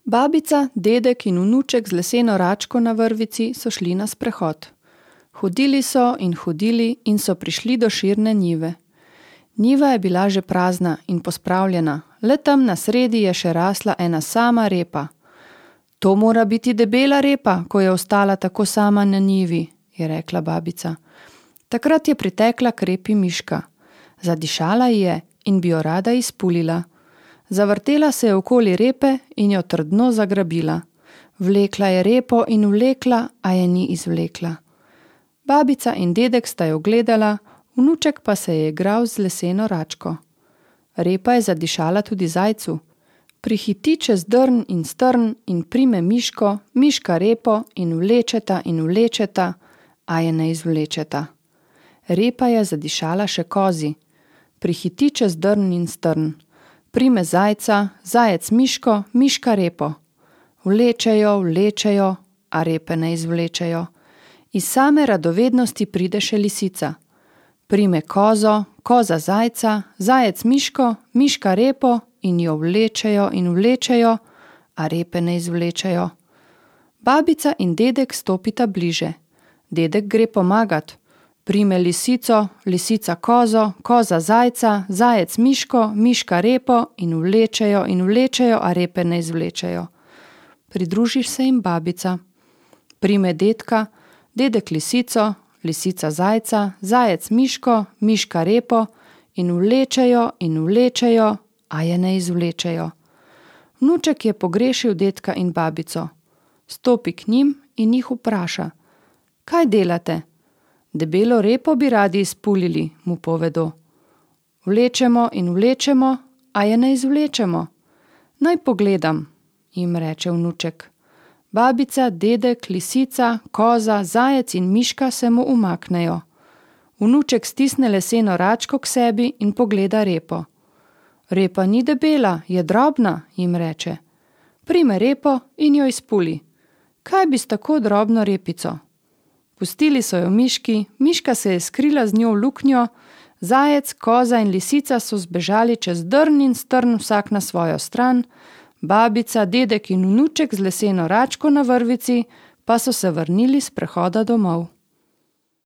Babica, dedek in vnuček z leseno račko na vrvici so šli na sprehod. Hodili so in so prišli do širne njive. Njiva je bila že prazna in pospravljena, le tam na sredi je še rasla ena sama repa. To mora biti debela repa, ko je ostala tako sama na njivi, je rekla babica. Takrat je pritekla k repi miška. Zadišala ji je in bi jo rada izpulila. Zavrtela se je okoli repe in jo trdno zagrabila. Vlekla je repo in vlekla, a je ni izvlekla. Babica in dedek sta jo gledala, vnuček pa se je igral z leseno račko. Repa je zadišala tudi zajcu. Prihiti čez drn in strn in prime miško, miška repo in vlečeta, a je ne izvlečeta. Repa je zadišala še kozi. Prihiti čez drn in strn. Prime zajca, zajec miško, miška repo. Vlečejo, a repe ne izvlečejo. Iz same radovednosti pride še lisica. Prime kozo, koza zajca, zajec miško, miška repo in jo vlečejo, a repe ne izvlečejo. Babica in dedek stopita bliže. Dedek gre pomagat. Prime lisico, lisica kozo, koza zajca, zajec miško, miška repo in vlečejo, a repe ne izvlečejo. Pridružiš se jim babica. Prime dedka, dedek lisico, lisica zajca, zajec miško, miška repo in vlečejo, a je ne izvlečejo. Vnuček je pogrešil dedka in babico. Stopi k njim in jih vpraša. Kaj delate? Debelo repo bi radi izpulili, mu povedo. Vlečemo, a je ne izvlečemo. Naj pogledam, jim reče vnuček. Babica, dedek, lisica, koza, zajec in miška se mu umaknejo. Vnuček stisne leseno račko k sebi in pogleda repo. Repa ni debela, je drobna, jim reče. Prime repo in jo izpuli. Kaj bi s tako drobno repico? Pustili so jo miški, miška se je skrila z njo v luknjo, zajec, koza in lisica so zbežali čez drn in strn vsak na svojo stran, babica, dedek in vnuček z leseno račko na vrvici pa so se vrnili s prehoda domov.